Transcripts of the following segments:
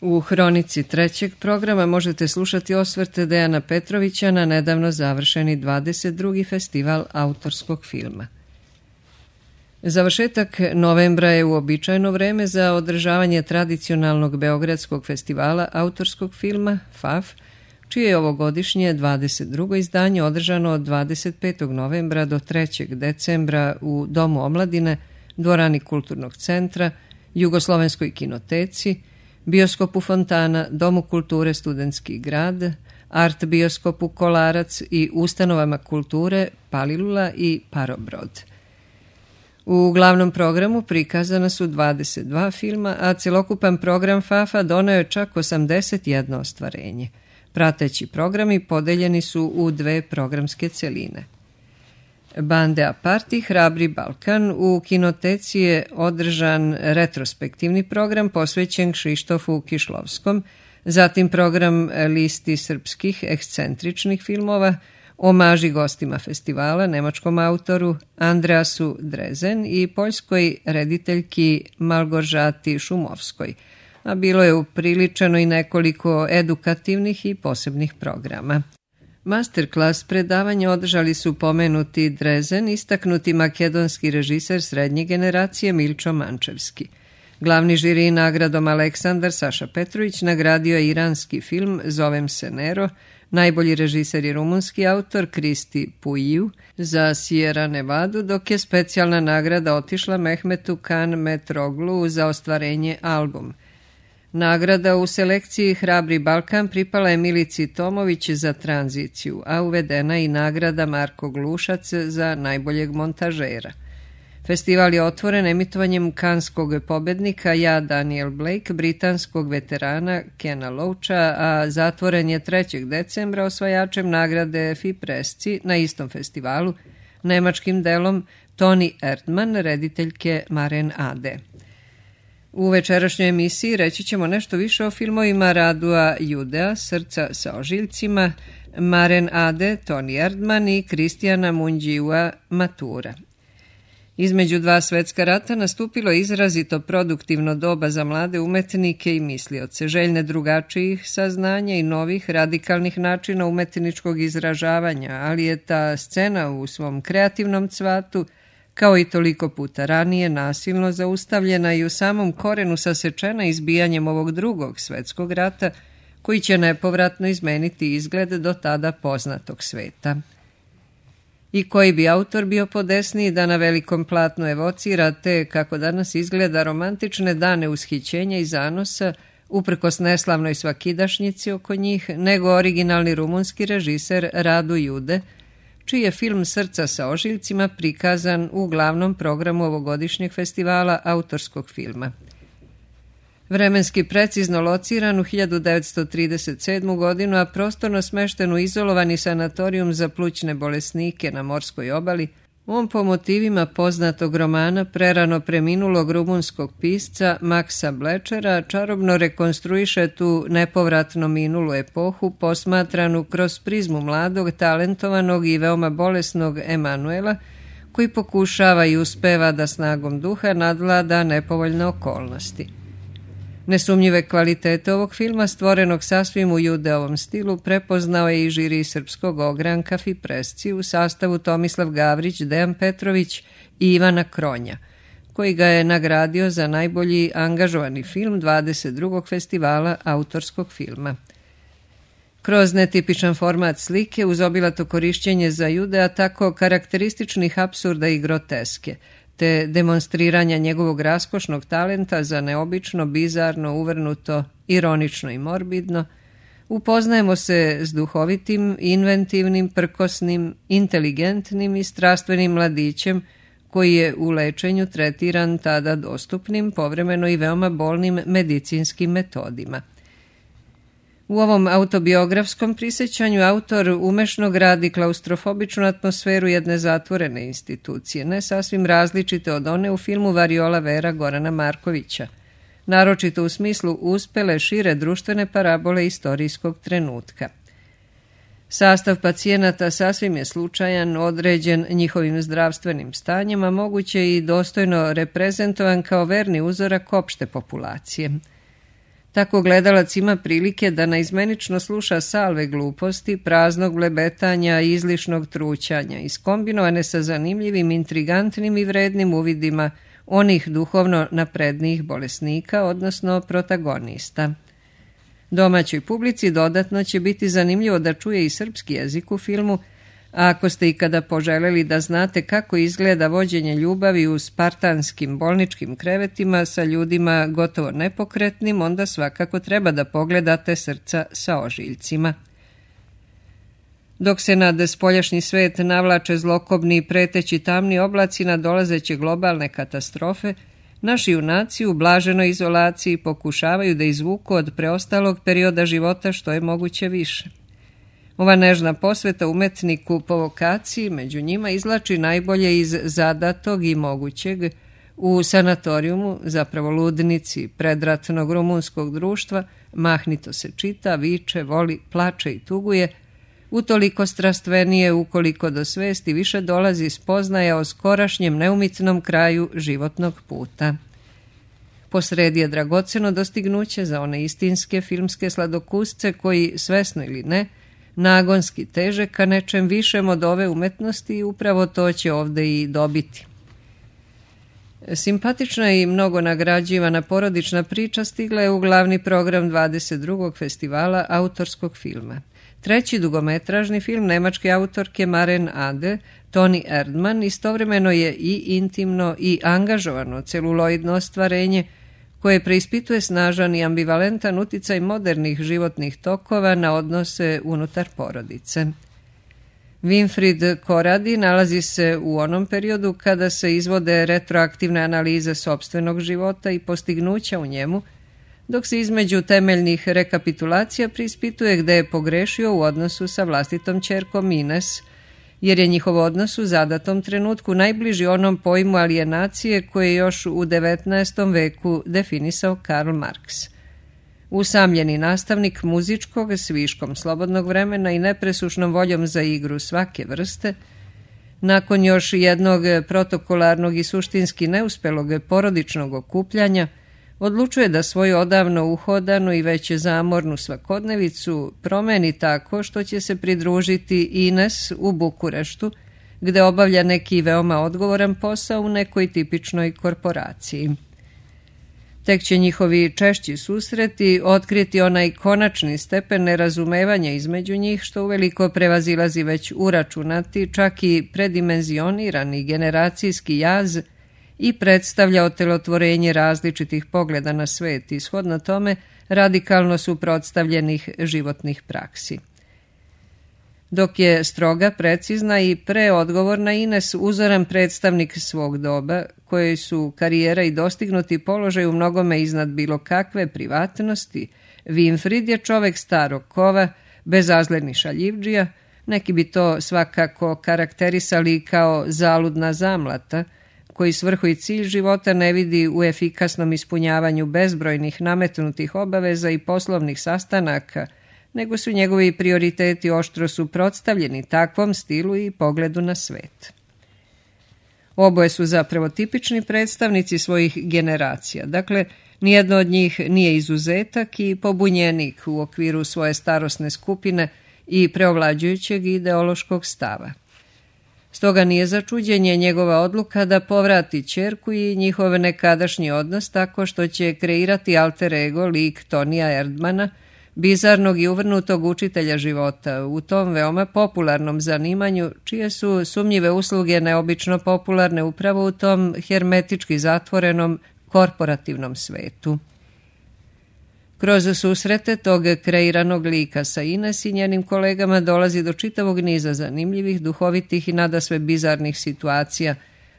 U hronici trećeg programa možete slušati osvrte Dejana Petrovića na nedavno završeni 22. festival autorskog filma. Završetak novembra je uobičajeno vreme za održavanje tradicionalnog beogradskog festivala autorskog filma FAF, čije je ovogodišnje 22. izdanje održano od 25. novembra do 3. decembra u Domu omladine, dvorani Kulturnog centra, Jugoslovenskoj kinoteci, Bioskopu Fontana, Domu kulture Studentski grad, Art bioskopu Kolarac i ustanovama kulture Palilula i Parobrod. U glavnom programu prikazana su 22 filma, a celokupan program FAF-a doneo je čak 81 ostvarenje. Prateći programi podeljeni su u dve programske celine. Bande apart i Hrabri Balkan u kinoteci je održan retrospektivni program posvećen Kšištofu Kišlovskom, zatim program listi srpskih ekscentričnih filmova, omaži gostima festivala, nemačkom autoru Andreasu Drezen i poljskoj rediteljki Malgorzati Šumovskoj, a bilo je upriličeno i nekoliko edukativnih i posebnih programa. Masterclass predavanja održali su pomenuti Drezen, istaknuti makedonski režiser srednje generacije Milčo Mančevski. Glavni žiri nagradom Aleksandar Saša Petrović nagradio je iranski film Zovem se Nero, najbolji režiser je rumunski autor Kristi Puiju za Sierra Nevadu, dok je specijalna nagrada otišla Mehmetu Kan Metroglu za ostvarenje album. Nagrada u selekciji Hrabri Balkan pripala je Milici Tomović za tranziciju, a uvedena i nagrada Marko Glušac za najboljeg montažera. Festival je otvoren emitovanjem kanskog pobednika Ja Daniel Blake, britanskog veterana Kena Loacha, a zatvoren je 3. decembra osvajačem nagrade Fipresci na istom festivalu, nemačkim delom Toni Erdmann, rediteljke Maren Ade. U večerašnjoj emisiji reći ćemo nešto više o filmovima Radua Judea, Srca sa ožiljcima, Maren Ade, Toni Erdmann i Kristijana Munđiua, Matura. Između dva svetska rata nastupilo je izrazito produktivno doba za mlade umetnike i mislioce, željne drugačijih saznanja i novih radikalnih načina umetničkog izražavanja, ali je ta scena u svom kreativnom cvatu, kao i toliko puta ranije, nasilno zaustavljena i u samom korenu sasečena izbijanjem ovog drugog svetskog rata, koji će nepovratno izmeniti izgled do tada poznatog sveta. I koji bi autor bio podesniji da na velikom platnu evocira te, kako danas izgleda, romantične dane ushićenja i zanosa, uprkos neslavnoj svakidašnjici oko njih, nego originalni rumunski režiser Radu Jude, čiji je film Srca sa ožiljcima prikazan u glavnom programu ovogodišnjeg festivala autorskog filma. Vremenski precizno lociran u 1937. godinu, a prostorno smešten u izolovani sanatorijum za plućne bolesnike na morskoj obali, on po motivima poznatog romana prerano preminulog rumunskog pisca Maksa Blečera čarobno rekonstruiše tu nepovratno minulu epohu posmatranu kroz prizmu mladog, talentovanog i veoma bolesnog Emanuela, koji pokušava i uspeva da snagom duha nadvlada nepovoljne okolnosti. Nesumnjive kvalitete ovog filma, stvorenog sasvim u Judeovom stilu, prepoznao je i žiri srpskog ogranka Fipresci u sastavu Tomislav Gavrić, Dejan Petrović i Ivana Kronja, koji ga je nagradio za najbolji angažovani film 22. festivala autorskog filma. Kroz netipičan format slike, uz obilato korišćenje za Judea tako karakterističnih apsurda i groteske, te demonstriranja njegovog raskošnog talenta za neobično, bizarno, uvrnuto, ironično i morbidno, upoznajemo se s duhovitim, inventivnim, prkosnim, inteligentnim i strastvenim mladićem koji je u lečenju tretiran tada dostupnim, povremeno i veoma bolnim medicinskim metodima. U ovom autobiografskom prisjećanju autor umešno gradi klaustrofobičnu atmosferu jedne zatvorene institucije, ne sasvim različite od one u filmu Variola Vera Gorana Markovića, naročito u smislu uspele šire društvene parabole istorijskog trenutka. Sastav pacijenata sasvim je slučajan, određen njihovim zdravstvenim stanjem, a moguće i dostojno reprezentovan kao verni uzorak opšte populacije. Tako gledalac ima prilike da naizmenično sluša salve gluposti, praznog blebetanja i izlišnog trućanja, iskombinovane sa zanimljivim, intrigantnim i vrednim uvidima onih duhovno naprednijih bolesnika, odnosno protagonista. Domaćoj publici dodatno će biti zanimljivo da čuje i srpski jezik u filmu, a ako ste ikada poželjeli da znate kako izgleda vođenje ljubavi u spartanskim bolničkim krevetima sa ljudima gotovo nepokretnim, onda svakako treba da pogledate Srca sa ožiljcima. Dok se nad spoljašnji svet navlače zlokobni i preteći tamni oblaci nadolazeće globalne katastrofe, naši junaci u blaženoj izolaciji pokušavaju da izvuku od preostalog perioda života što je moguće više. Ova nežna posveta umetniku po vokaciji među njima izvlači najbolje iz zadatog i mogućeg u sanatorijumu, zapravo ludnici predratnog rumunskog društva, mahnito se čita, viče, voli, plače i tuguje, utoliko strastvenije ukoliko do svesti više dolazi spoznaja o skorašnjem neumitnom kraju životnog puta. Posredi je dragoceno dostignuće za one istinske filmske sladokusce koji, svesno ili ne, nagonski teže ka nečem višem od ove umetnosti i upravo to će ovde i dobiti. Simpatična i mnogo nagrađivana porodična priča stigla je u glavni program 22. festivala autorskog filma. Treći dugometražni film nemačke autorke Maren Ade, Toni Erdmann, istovremeno je i intimno i angažovano celuloidno ostvarenje koje preispituje snažan i ambivalentan uticaj modernih životnih tokova na odnose unutar porodice. Winfried Koradi nalazi se u onom periodu kada se izvode retroaktivne analize sopstvenog života i postignuća u njemu, dok se između temeljnih rekapitulacija preispituje gde je pogrešio u odnosu sa vlastitom ćerkom Ines, jer je njihov odnos u zadatom trenutku najbliži onom pojmu alijenacije koje je još u 19. veku definisao Karl Marx. Usamljeni nastavnik muzičkog s viškom slobodnog vremena i nepresušnom voljom za igru svake vrste, nakon još jednog protokolarnog i suštinski neuspelog porodičnog okupljanja, odlučuje da svoju odavno uhodanu i već zamornu svakodnevicu promeni tako što će se pridružiti Ines u Bukureštu, gde obavlja neki veoma odgovoran posao u nekoj tipičnoj korporaciji. Tek će njihovi češći susreti otkriti onaj konačni stepen nerazumevanja između njih, što uveliko prevazilazi već uračunati, čak i predimenzionirani generacijski jaz i predstavlja otelotvorenje različitih pogleda na svet i shodno tome radikalno suprotstavljenih životnih praksi. Dok je stroga, precizna i preodgovorna Ines uzoran predstavnik svog doba, kojoj su karijera i dostignuti položaj u mnogome iznad bilo kakve privatnosti, Winfried je čovek starog kova, bezazleni šaljivdžija, neki bi to svakako karakterisali kao zaludna zamlata, koji svrhu i cilj života ne vidi u efikasnom ispunjavanju bezbrojnih nametnutih obaveza i poslovnih sastanaka, nego su njegovi prioriteti oštro suprotstavljeni takvom stilu i pogledu na svet. Oboje su zapravo tipični predstavnici svojih generacija, dakle, nijedno od njih nije izuzetak i pobunjenik u okviru svoje starosne skupine i preovlađujućeg ideološkog stava. Stoga nije za čuđenje njegova odluka da povrati ćerku i njihov nekadašnji odnos tako što će kreirati alter ego lik Tonija Erdmana, bizarnog i uvrnutog učitelja života u tom veoma popularnom zanimanju, čije su sumnjive usluge neobično popularne upravo u tom hermetički zatvorenom korporativnom svetu. Kroz susrete tog kreiranog lika sa Ines i njenim kolegama dolazi do čitavog niza zanimljivih, duhovitih i nadasve bizarnih situacija,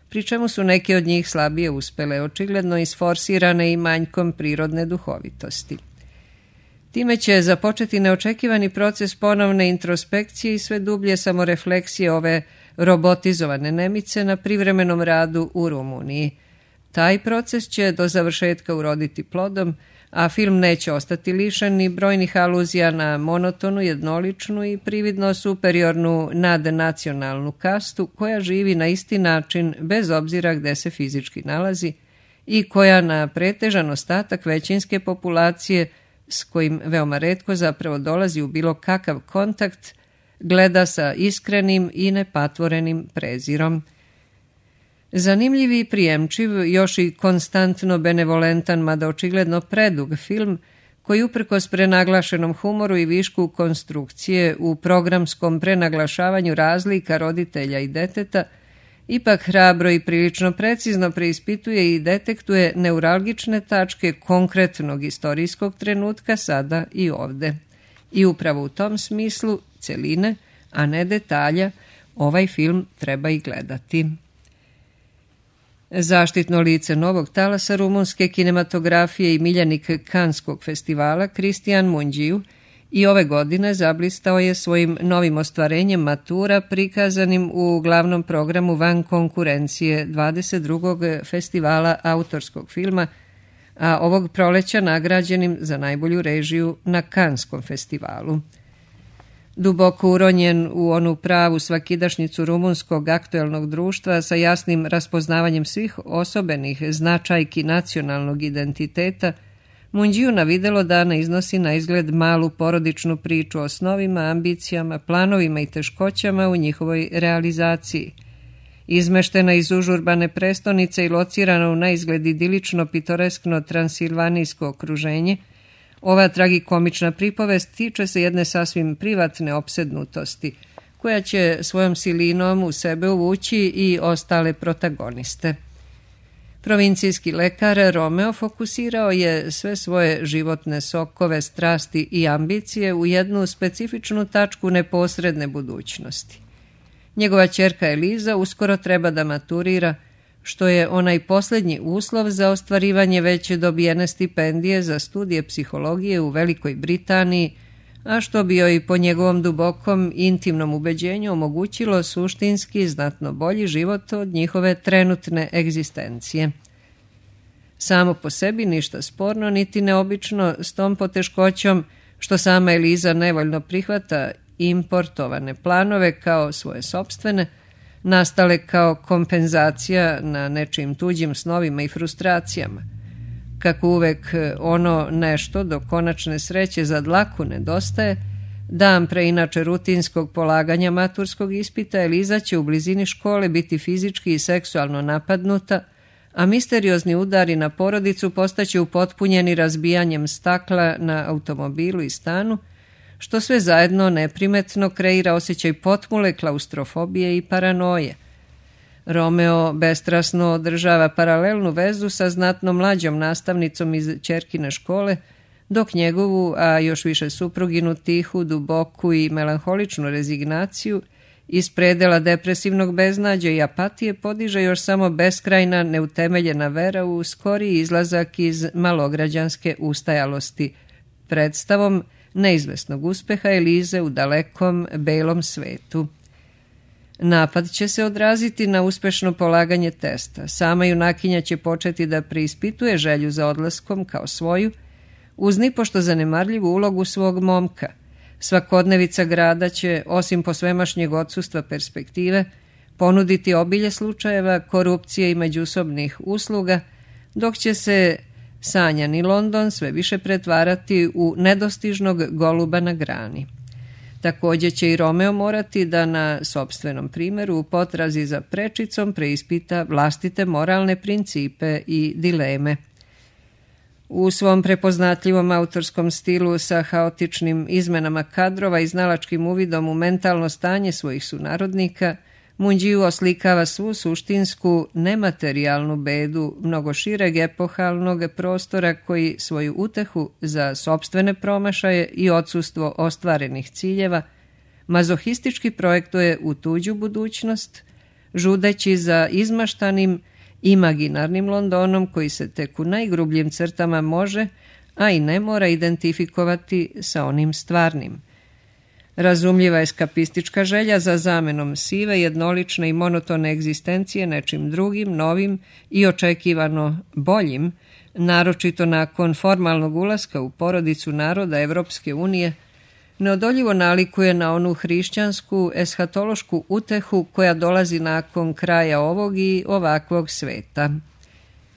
pri čemu su neke od njih slabije uspele, očigledno isforsirane i manjkom prirodne duhovitosti. Time će započeti neočekivani proces ponovne introspekcije i sve dublje samorefleksije ove robotizovane Nemice na privremenom radu u Rumuniji. Taj proces će do završetka uroditi plodom, a film neće ostati lišen ni brojnih aluzija na monotonu, jednoličnu i prividno superiornu nadnacionalnu kastu koja živi na isti način bez obzira gde se fizički nalazi i koja na pretežan ostatak većinske populacije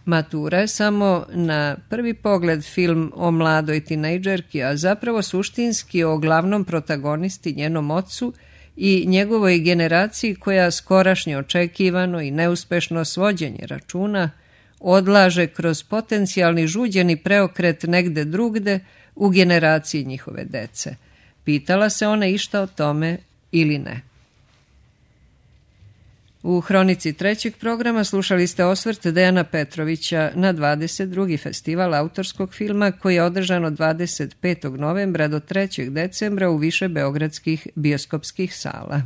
Matura je samo na prvi pogled film o mladoj tinejdžerki, a zapravo suštinski o glavnom protagonisti, njenom ocu i njegovoj generaciji koja skorašnje očekivano i neuspešno svođenje računa odlaže kroz potencijalni žuđeni preokret negde drugde u generaciji njihove dece. Pitala se ona išta o tome ili ne? U hronici trećeg programa slušali ste osvrt Dejana Petrovića na 22. festival autorskog filma koji je održan od 25. novembra do 3. decembra u više beogradskih bioskopskih sala.